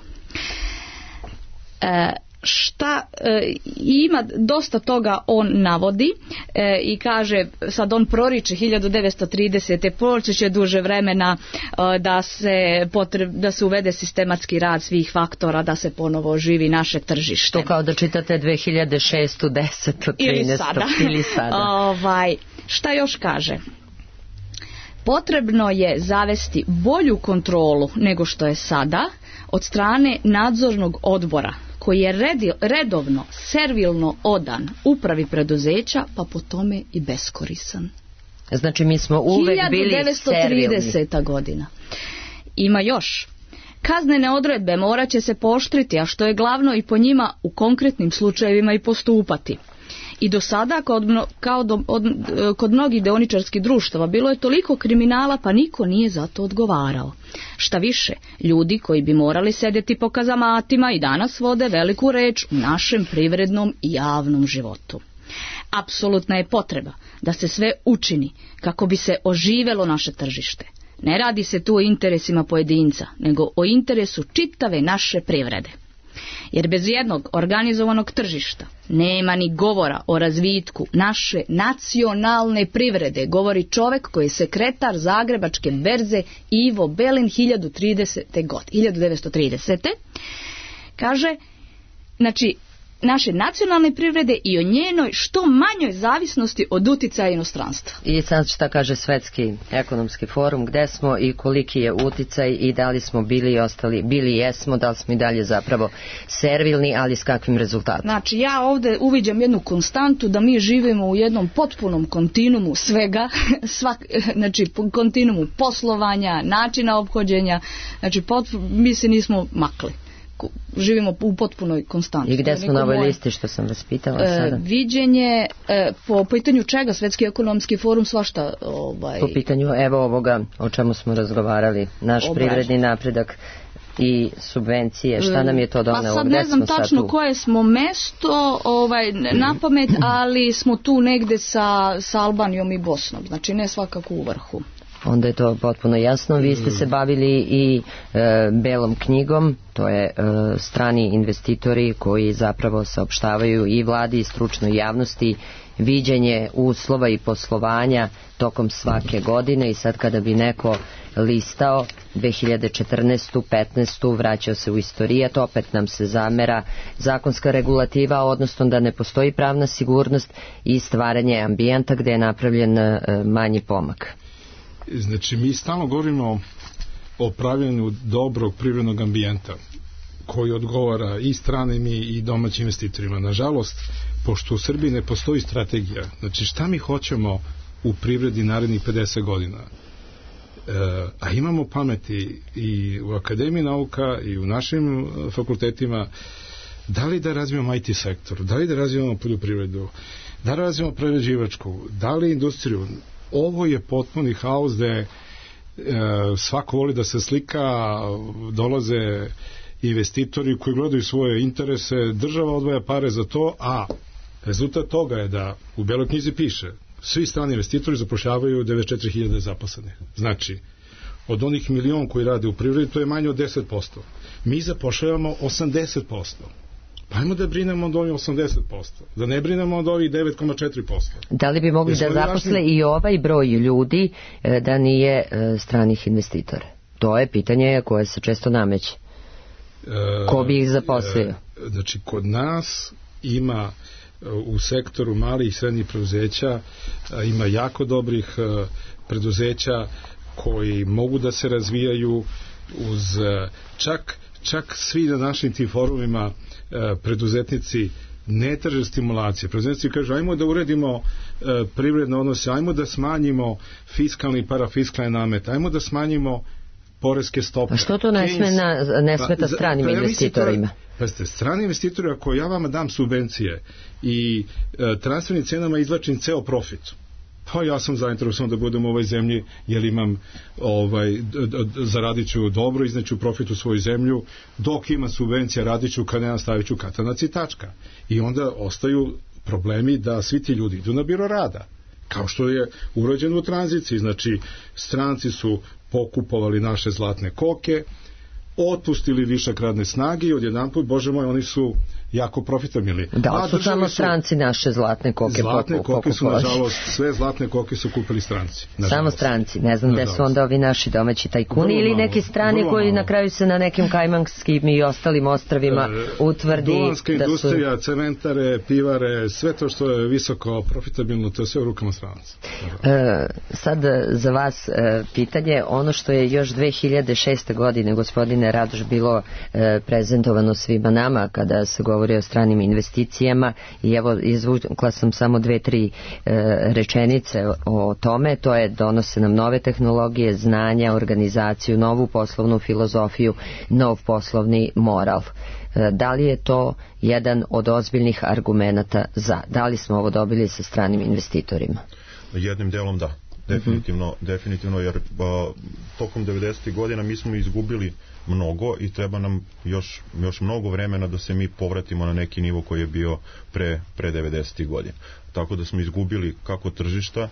E, šta e, ima dosta toga on navodi e, i kaže, sad on proriče hiljadu devetsto tridesete. proći će duže vremena e, da se potreb, da se uvede sistematski rad svih faktora, da se ponovo oživi naše tržište. To kao da čitate dve hiljade šestu, desetu, trinaestu ili sada, ili sada. ovaj, šta još kaže? Potrebno je zavesti bolju kontrolu nego što je sada od strane nadzornog odbora koji je redovno, servilno odan upravi preduzeća, pa po tome i beskorisan. Znači mi smo uvek bili hiljadu devetsto trideseta. godina. Ima još. Kaznene odredbe morat će se pooštriti, a što je glavno i po njima u konkretnim slučajevima i postupati. I do sada, kod, kao do, od, kod mnogih deoničarskih društava, bilo je toliko kriminala, pa niko nije za to odgovarao. Šta više, ljudi koji bi morali sedjeti po kazamatima i danas vode veliku reč u našem privrednom i javnom životu. Apsolutna je potreba da se sve učini kako bi se oživelo naše tržište. Ne radi se tu o interesima pojedinca, nego o interesu čitave naše privrede. Jer bez jednog organizovanog tržišta nema ni govora o razvitku naše nacionalne privrede, govori čovjek koji je sekretar Zagrebačke berze Ivo Belin hiljadu devetsto tridesete. Kaže, znači, naše nacionalne privrede i o njenoj što manjoj zavisnosti od uticaja inostranstva. I sad šta kaže Svetski ekonomski forum, gde smo i koliki je uticaj i da li smo bili i ostali, bili jesmo, da li smo i dalje zapravo servilni, ali s kakvim rezultatom? Znači ja ovdje uviđam jednu konstantu da mi živimo u jednom potpunom kontinuumu svega, svak, znači kontinuumu poslovanja, načina ophođenja, znači potpuno, mi se nismo makli. Živimo u potpunoj konstanti. I gde smo na ovoj moje, listi što sam vas pitala e, sada? Viđenje, e, po pitanju čega Svetski ekonomski forum svašta... Ovaj, po pitanju evo ovoga o čemu smo razgovarali, naš obraž. Privredni napredak i subvencije, šta nam je to donelo? Pa sad ne znam tačno koje smo mesto ovaj, na pamet, ali smo tu negde sa, sa Albanijom i Bosnom, znači ne svakako u vrhu. Onda je to potpuno jasno. Vi ste se bavili i e, belom knjigom, to je e, strani investitori koji zapravo saopštavaju i vladi i stručnoj javnosti viđenje uslova i poslovanja tokom svake godine i sad kada bi neko listao dve hiljade četrnaestu. petnaestu. vraćao se u istorijat, opet nam se zamera zakonska regulativa, odnosno da ne postoji pravna sigurnost i stvaranje ambijenta gde je napravljen e, manji pomak. Znači, mi stalno govorimo o pravljenju dobrog privrednog ambijenta koji odgovara i stranim i domaćim investitorima. Nažalost, pošto u Srbiji ne postoji strategija, znači šta mi hoćemo u privredi narednih pedeset godina, e, a imamo pameti i u Akademiji nauka i u našim fakultetima, da li da razvijemo I T sektor, da li da razvijemo poljoprivredu, da li razvijemo prerađivačku, da li industriju. Ovo je potpuni haos gde e, svako voli da se slika, dolaze investitori koji gledaju svoje interese, država odvaja pare za to, a rezultat toga je da u Beloj knjizi piše svi strani investitori zapošljavaju devedeset četiri hiljade zaposlenih. Znači, od onih milion koji rade u privredi, to je manje od deset posto. Mi zapošljavamo osamdeset posto. Pa ajmo da brinemo od ovih osamdeset posto, da ne brinemo od ovih devet zarez četiri posto. Da li bi mogli da zaposle i ovaj broj ljudi da nije stranih investitora? To je pitanje koje se često nameće. Ko bi ih zaposlio? Znači, kod nas ima u sektoru malih i srednjih preduzeća ima jako dobrih preduzeća koji mogu da se razvijaju uz čak, čak svi na našim tim forumima preduzetnici ne traže stimulacije. Preduzetnici kažu ajmo da uredimo privredne odnose, ajmo da smanjimo fiskalni i parafiskalni namet, ajmo da smanjimo poreske stope. A što to ne, sme na, ne smeta pa, stranim pa, investitorima? Pa ste, strani investitori, ako ja vama dam subvencije i e, transfernim cenama izvlačim ceo profit, pa ja sam zainteresovan da budem u ovoj zemlji, jer imam ovaj, zaradit ću dobro, izneću profit u svoju zemlju, dok ima subvencija radit ću, kad nema stavit ću katanac i tačka. I onda ostaju problemi da svi ti ljudi idu na biro rada. Kao što je urađeno u tranziciji, znači stranci su pokupovali naše zlatne koke, otpustili višak radne snage i odjedanput, bože moj, oni su jako profitabilni. Da, su samo stranci naše zlatne koke zlatne poku, koke su, nažalost, sve zlatne koke su kupili stranci. Nažalost. Samo stranci, ne znam gde su onda ovi naši domaći tajkuni ili malo, neki strani koji malo. Na kraju se na nekim kajmanskim i ostalim ostravima e, utvrdi Duvanska da su... industrija, cementare, pivare, sve to što je visoko profitabilno, to je sve u rukama stranaca. E, sad za vas e, pitanje, ono što je još dve hiljade šeste. godine, gospodine Radoš, bilo e, prezentovano svima nama kada se govori o stranim investicijama, i evo izvukla sam samo dve, tri e, rečenice o, o tome. To je donose nam nove tehnologije, znanja, organizaciju, novu poslovnu filozofiju, nov poslovni moral. E, da li je to jedan od ozbiljnih argumenata za? Da li smo ovo dobili sa stranim investitorima? Jednim delom da. Definitivno, mm-hmm. definitivno jer a, tokom devedesetih godina mi smo izgubili mnogo i treba nam još, još mnogo vremena da se mi povratimo na neki nivo koji je bio pre, pre devedesetih godina. Tako da smo izgubili kako tržišta,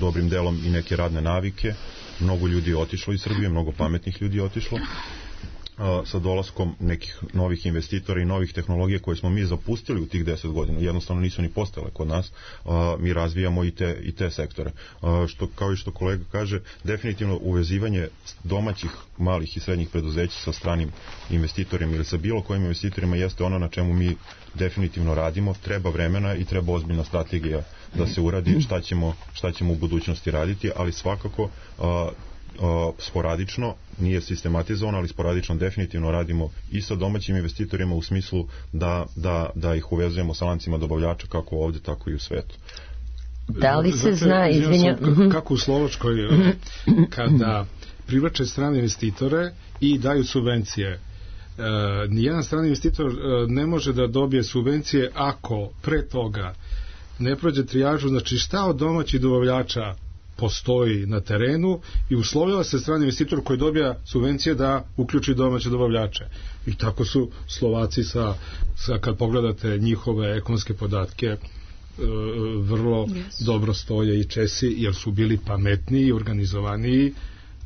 dobrim delom i neke radne navike, mnogo ljudi je otišlo iz Srbije, mnogo pametnih ljudi je otišlo. Sa dolaskom nekih novih investitora i novih tehnologija koje smo mi zapustili u tih deset godina, jednostavno nisu ni postale kod nas, mi razvijamo i te, i te sektore. Što, kao i što kolega kaže, definitivno uvezivanje domaćih malih i srednjih preduzeća sa stranim investitorima ili sa bilo kojim investitorima jeste ono na čemu mi definitivno radimo. Treba vremena i treba ozbiljna strategija da se uradi šta ćemo, šta ćemo u budućnosti raditi, ali svakako Uh, sporadično, nije sistematizovano, ali sporadično definitivno radimo i sa domaćim investitorima u smislu da, da, da ih uvezujemo sa lancima dobavljača kako ovde, tako i u svetu. Da li se zna, izvinjam... Kako u Slovačkoj, kada privlače strane investitore i daju subvencije, e, nijedan strani investitor ne može da dobije subvencije ako pre toga ne prođe trijažu, znači šta od domaćih dobavljača postoji na terenu i uslovila se strani investitor koji dobija subvencije da uključi domaće dobavljače. I tako su Slovaci sa, sa kad pogledate njihove ekonomske podatke e, vrlo yes. dobro stoje, i Česi, jer su bili pametniji i organizovaniji,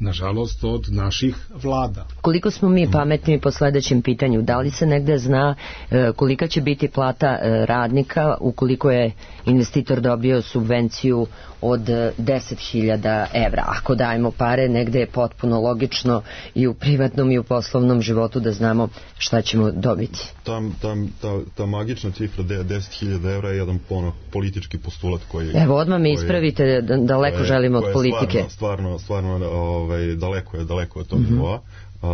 nažalost, od naših vlada. Koliko smo mi pametni po sledećem pitanju? Da li se negde zna e, kolika će biti plata e, radnika ukoliko je investitor dobio subvenciju od deset hiljada evra? Ako dajemo pare, negde je potpuno logično i u privatnom i u poslovnom životu da znamo šta ćemo dobiti. Tam, tam, ta, ta magična cifra deset hiljada evra je jedan pono, politički postulat koji... Evo, odmah me ispravite, daleko koje, želimo od politike. Stvarno, stvarno, stvarno ovaj, daleko je, daleko je to mm-hmm. nivoa. Uh,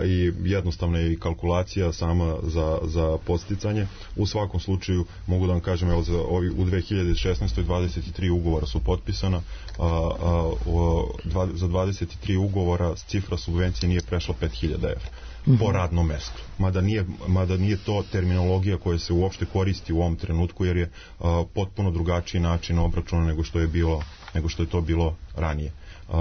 i jednostavna je i kalkulacija sama za, za podsticanje. U svakom slučaju mogu da vam kažem, evo, za ovi, u dve hiljade šesnaestoj. dvadeset tri ugovora su potpisana, uh, uh, dva, za dvadeset tri ugovora cifra subvencije nije prešla pet hiljada evra mm-hmm. po radnom mestu. Mada nije, mada nije to terminologija koja se uopšte koristi u ovom trenutku, jer je uh, potpuno drugačiji način obračuna nego što je bilo, nego što je to bilo ranije. Uh,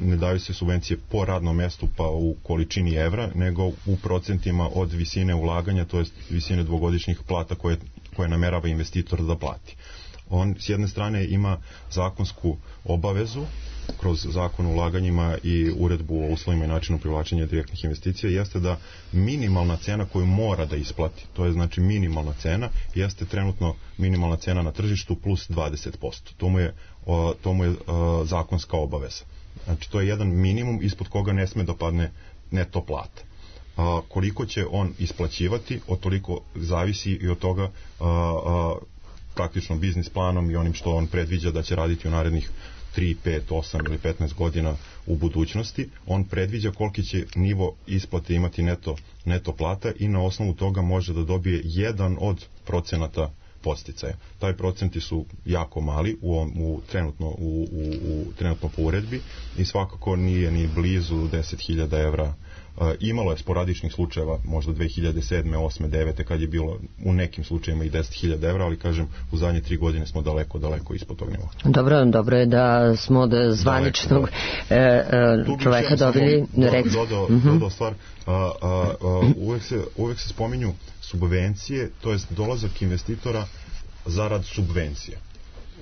ne daju se subvencije po radnom mestu pa u količini evra, nego u procentima od visine ulaganja, to jest visine dvogodišnjih plata koje, koje namerava investitor da plati. On s jedne strane ima zakonsku obavezu kroz zakon o ulaganjima i uredbu o uslovima i načinu privlačenja direktnih investicija jeste da minimalna cena koju mora da isplati, to je znači minimalna cena, jeste trenutno minimalna cena na tržištu plus dvadeset posto. To mu je, to mu je zakonska obaveza. Znači to je jedan minimum ispod koga ne sme da padne neto plata. A, koliko će on isplaćivati, od toliko zavisi i od toga a, a, praktično biznis planom i onim što on predviđa da će raditi u narednih tri, pet, osam ili petnaest godina u budućnosti. On predviđa koliki će nivo isplate imati neto, neto plata i na osnovu toga može da dobije jedan od procenata podsticaja. Taj procenti su jako mali u, u, trenutno, u, u, u, trenutno po uredbi i svakako nije ni blizu deset hiljada evra. Uh, imalo je sporadičnih slučajeva, možda dve hiljade sedme, osme, devete, kad je bilo u nekim slučajima i deset hiljada evra, ali kažem, u zadnje tri godine smo daleko, daleko ispod tog nivoa. Dobro, dobro je da smo od zvaničnog e, e, čoveka dobili... Rec... Dodao, uh-huh. dodao stvar, a, a, a, uvek, se, uvek se spominju subvencije, to jest dolazak investitora zarad subvencije.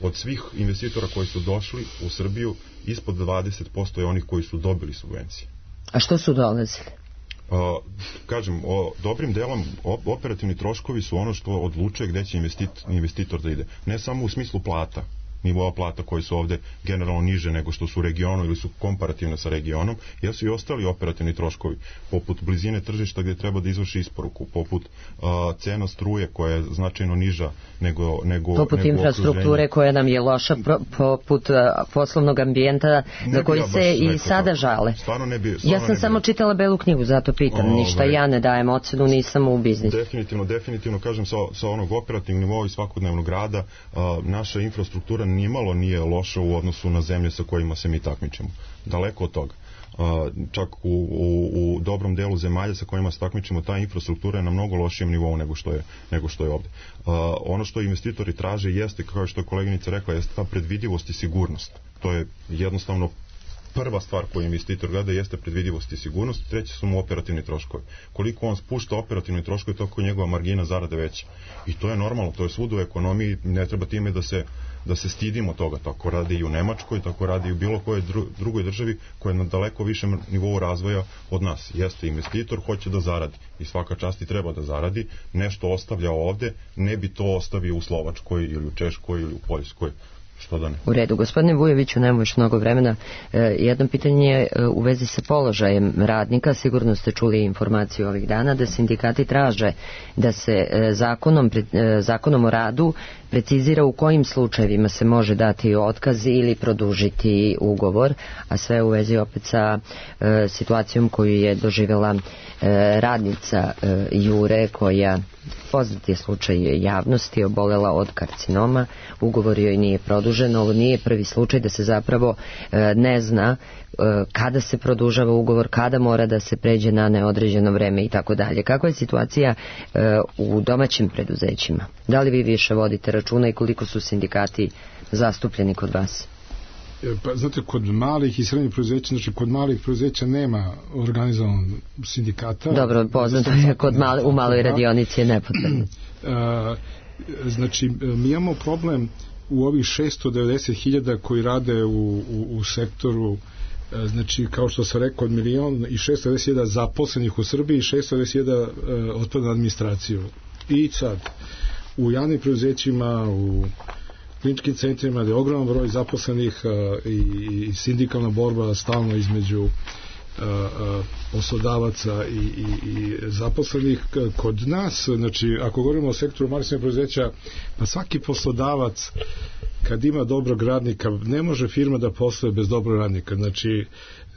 Od svih investitora koji su došli u Srbiju, ispod dvadeset posto je onih koji su dobili subvencije. A što su dolazili? Uh, kažem, o, dobrim delom operativni troškovi su ono što odlučuje gde će investit, investitor da ide. Ne samo u smislu plata, nivoa plata koji su ovde generalno niže nego što su u regionu ili su komparativne sa regionom, jer su i ostali operativni troškovi, poput blizine tržišta gde treba da izvrši isporuku, poput uh, cena struje koja je značajno niža nego, nego poput nego infrastrukture okruženje. Koja nam je loša, pro, poput uh, poslovnog ambijenta za koji se i sada tako. Žale. Stvarno ne bi, stvarno ja sam samo bi... čitala Belu knjigu, zato pitam, o, ništa ja ne dajem ocenu, nisam u biznisu. Definitivno, definitivno, kažem, sa, sa onog operativnog nivoa i svakodnevnog rada, uh, naša infrastruktura nimalo nije loša u odnosu na zemlje sa kojima se mi takmičimo. Daleko od toga. Uh, čak u, u, u dobrom delu zemalja sa kojima se takmičimo, ta infrastruktura je na mnogo lošijem nivou nego što je, nego što je ovde. Uh, ono što investitori traže jeste, kao što je koleginica rekla, jeste ta predvidivost i sigurnost. To je jednostavno prva stvar koju investitor gleda, jeste predvidivost i sigurnost, treći su mu operativni troškovi. Koliko on spušta operativni troškovi, toliko je njegova margina zarade veća. I to je normalno, to je svud u ekonomiji, ne treba time da se da se stidimo toga, tako radi i u Nemačkoj, tako radi i u bilo kojoj dru, drugoj državi koja je na daleko višem nivou razvoja od nas. Jeste investitor, hoće da zaradi i svaka čast i treba da zaradi, nešto ostavlja ovde, ne bi to ostavio u Slovačkoj ili u Češkoj ili u Poljskoj. Što da ne? U redu, gospodine Vujoviću, nemamo još mnogo vremena. E, jedno pitanje je u vezi sa položajem radnika. Sigurno ste čuli informaciju ovih dana da sindikati traže da se e, zakonom, e, zakonom o radu precizira u kojim slučajevima se može dati otkaz ili produžiti ugovor, a sve u vezi opet sa e, situacijom koju je doživjela e, radnica e, Jure, koja poznat je slučaj javnosti, obolela od karcinoma, ugovor joj nije produžen. Ovo nije prvi slučaj da se zapravo e, ne zna e, kada se produžava ugovor, kada mora da se pređe na neodređeno vreme i tako dalje. Kakva je situacija e, u domaćim preduzećima? Da li vi više vodite računa i koliko su sindikati zastupljeni kod vas? Pa, znate, kod malih i srednjih preduzeća, znači kod malih preduzeća nema organizovanog sindikata. Dobro, poznato je, kod mali, u maloj radionici je nepotrebno. Znači, mi imamo problem u ovih šesto devedeset hiljada koji rade u, u, u sektoru, znači, kao što sam rekao, od milion i šesto devedeset hiljada zaposlenih u Srbiji i šesto devedeset hiljada otpada na administraciju. I sad, u javnim preduzećima, u kliničkim centrima, gde je ogroman broj zaposlenih uh, i, i sindikalna borba stalno između uh, uh, poslodavaca i, i, i zaposlenih. Kod nas, znači, ako govorimo o sektoru malih preduzeća, pa svaki poslodavac kad ima dobrog radnika, ne može firma da posluje bez dobrog radnika. Znači,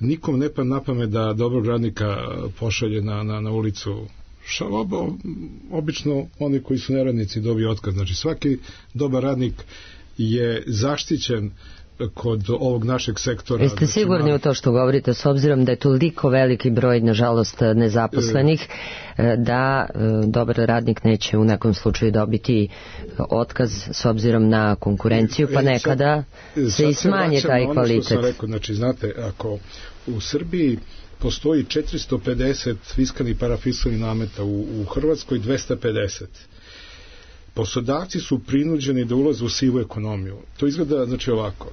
nikom ne pa na pamet da dobrog radnika pošalje na, na, na ulicu. Šalobo, obično oni koji su neradnici dobiju otkaz. Znači, svaki dobar radnik je zaštićen kod ovog našeg sektora. Jeste znači, sigurni u to što govorite, s obzirom da je toliko veliki broj, nažalost, nezaposlenih, da dobar radnik neće u nekom slučaju dobiti otkaz s obzirom na konkurenciju, pa nekada sad, se i smanje taj kvalitet. Što sam rekao, znači, znate, ako u Srbiji postoji četiristo pedeset fiskalnih i parafiskalnih nameta, u, u Hrvatskoj dvesta pedeset. Poslodavci su prinuđeni da ulaze u sivu ekonomiju. To izgleda, znači, ovako.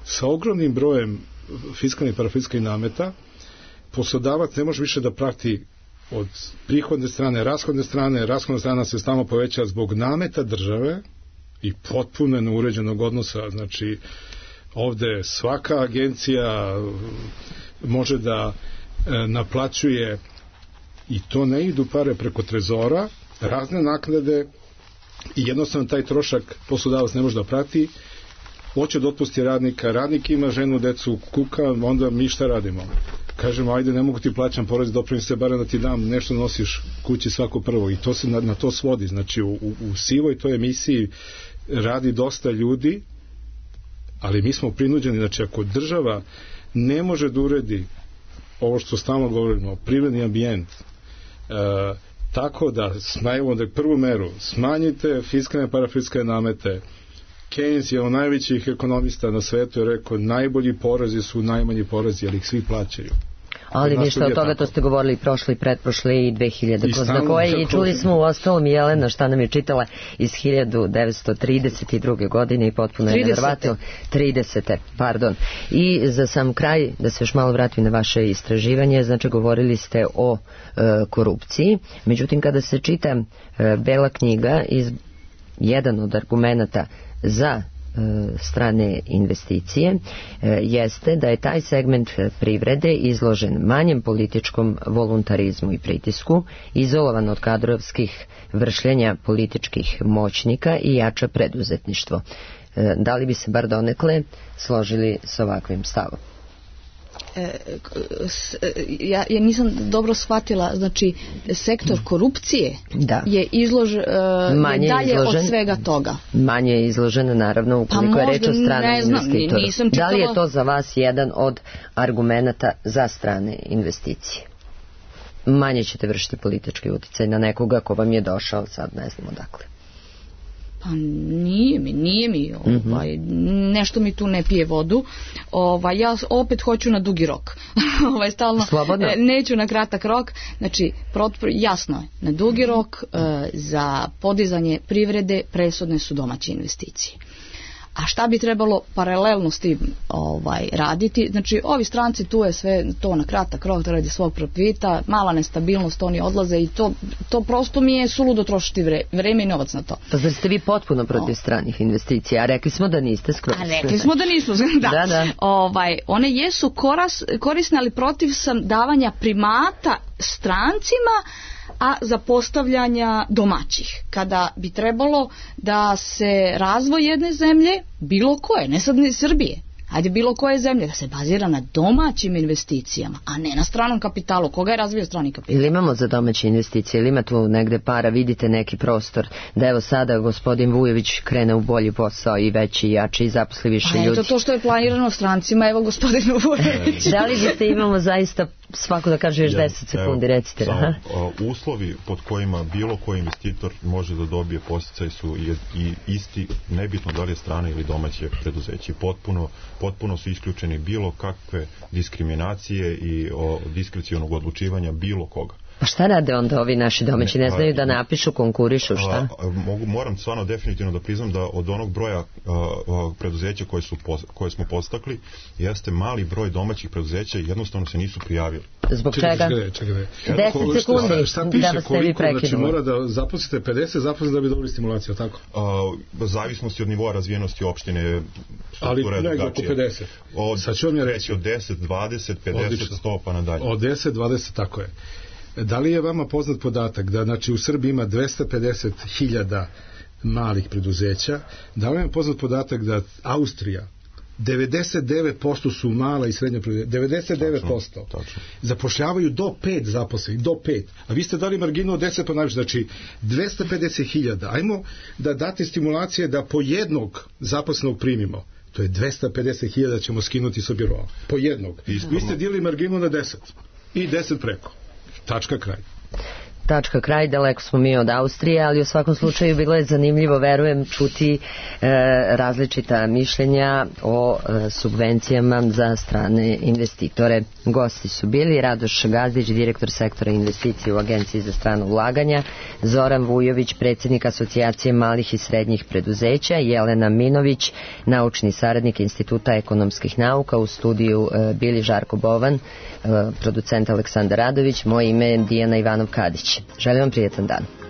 sa ogromnim brojem fiskalnih i parafiskalnih nameta poslodavac ne može više da prati od prihodne strane, rashodne strane, rashodna strana se stalno poveća zbog nameta države i potpuno neuređenog odnosa. Znači, ovde svaka agencija može da e, naplaćuje, i to ne idu pare preko trezora, razne naknade, i jednostavno taj trošak poslodavac ne može da prati, hoće da otpusti radnika, radnik ima ženu, decu, kuka, onda mi šta radimo? Kažemo, ajde, ne mogu ti plaćam porez, doprinose, barem da ti dam, nešto nosiš kući svako prvo, i to se na, na to svodi. Znači, u, u, u sivoj toj emisiji radi dosta ljudi, ali mi smo prinuđeni, znači, ako država ne može da uredi ovo što stalno govorimo, privredni ambijent, e, tako da, snajemo da prvu meru, smanjite fiskalne i parafiskalne namete. Keynes je od najvećih ekonomista na svetu je rekao, najbolji porezi su najmanji porezi, ali ih svi plaćaju. Ali ništa od toga, to ste govorili prošle i pretprošle i dve hiljade kroz na koje, i čuli smo u ostalom Jelena šta nam je čitala iz hiljadu devetsto trideset druge godine i potpuno je nevjerovatno. tridesete pardon. I za sam kraj, da se još malo vratim na vaše istraživanje, znači govorili ste o e, korupciji, međutim kada se čita e, Bela knjiga, iz jedan od argumenata za strane investicije jeste da je taj segment privrede izložen manjem političkom voluntarizmu i pritisku, izolovan od kadrovskih vršljenja političkih moćnika i jača preduzetništvo. Da li bi se bar donekle složili s ovakvim stavom? Ja, ja nisam dobro shvatila, znači sektor korupcije da. je izložen je dalje izložen, od svega toga. Manje je izložen, naravno, ukoliko pa je reč o stranom investitoru. Da li je to za vas jedan od argumenata za strane investicije? Manje ćete vršiti politički uticaj na nekoga ko vam je došao, sad ne znam odakle. Pa nije mi, nije mi, ovaj, mm-hmm. nešto mi tu ne pije vodu. Ovaj, ja opet hoću na dugi rok. ovaj, stalno, Slobodno. Neću na kratak rok. Znači, jasno je, na dugi rok e, za podizanje privrede presudne su domaće investicije. A šta bi trebalo paralelno s tim ovaj, raditi? Znači, ovi stranci, tu je sve to na kratak rok, radi svog profita, mala nestabilnost, oni odlaze i to, to prosto mi je suludo trošiti vre, vreme i novac na to. Pa zar ste vi potpuno protiv o. stranih investicija? A rekli smo da niste skroz. A rekli smo da nisu, da. da, da. Ovaj, one jesu koras, korisne, ali protiv sam davanja primata strancima, a za postavljanja domaćih. Kada bi trebalo da se razvoj jedne zemlje, bilo koje, ne sad ni Srbije, ajde bilo koje zemlje, da se bazira na domaćim investicijama, a ne na stranom kapitalu. Koga je razvio strani kapital? Ili imamo za domaće investicije, ili ima tu negde para, vidite neki prostor, da evo sada gospodin Vujović krene u bolji posao i veći, jači i zaposli više pa ljudi. Eto to što je planirano strancima, evo gospodinu Vujović. Da li biste imamo zaista svako da kaže još ja, deset sekundi, recite. Samo, a, uslovi pod kojima bilo koji investitor može da dobije podsticaj su i, i isti, nebitno da li je strane ili domaće preduzeće. Potpuno, potpuno su isključeni bilo kakve diskriminacije i o, diskrecionog odlučivanja bilo koga. Pa šta rade onda ovi naši domaći? Ne znaju da napišu, konkurišu, šta? A, mogu, moram stvarno definitivno da priznam da od onog broja a, a, preduzeća koje, su, koje smo postakli, jeste mali broj domaćih preduzeća i jednostavno se nisu prijavili. Zbog čega? deset sekundi, šta piše, da vas ne bi prekinuo. Znači mora da zaposlite pedeset zaposlite da bi dobili stimulaciju, tako? A, zavisnosti od nivoa razvijenosti opštine, ali negdje oko pedeset. Od, Sad ću vam ja reći. Od deset, dvadeset, pedeset, sto pa nadalje. Od deset, dvadeset, tako je. Da li je vama poznat podatak da znači u Srbiji ima dvesta pedeset hiljada malih preduzeća? Da li je poznat podatak da Austrija devedeset devet posto su mala i srednja preduzeća, devedeset devet posto Tačno, tačno. zapošljavaju do pet zaposlenih, do pet. A vi ste dali marginu od deset pa najviše, znači dvesta pedeset hiljada. Ajmo da date stimulacije da po jednog zaposlenog primimo. To je dvesta pedeset hiljada ćemo skinuti sa biroa. Po jednog. Ispravno. Vi ste dili marginu na deset i deset preko. Tačka, kraj. tačka kraj, daleko smo mi od Austrije, ali u svakom slučaju bilo je zanimljivo, verujem, čuti e, različita mišljenja o e, subvencijama za strane investitore. Gosti su bili Radoš Gazdić, direktor sektora investicije u Agenciji za strano ulaganja, Zoran Vujović, predsjednik Asocijacije malih i srednjih preduzeća, Jelena Minović, naučni saradnik Instituta ekonomskih nauka, u studiju e, bili Žarko Bovan, e, producent Aleksandar Radović, moje ime je Dijana Ivanov-Kadić. Želim vam prijetan dan.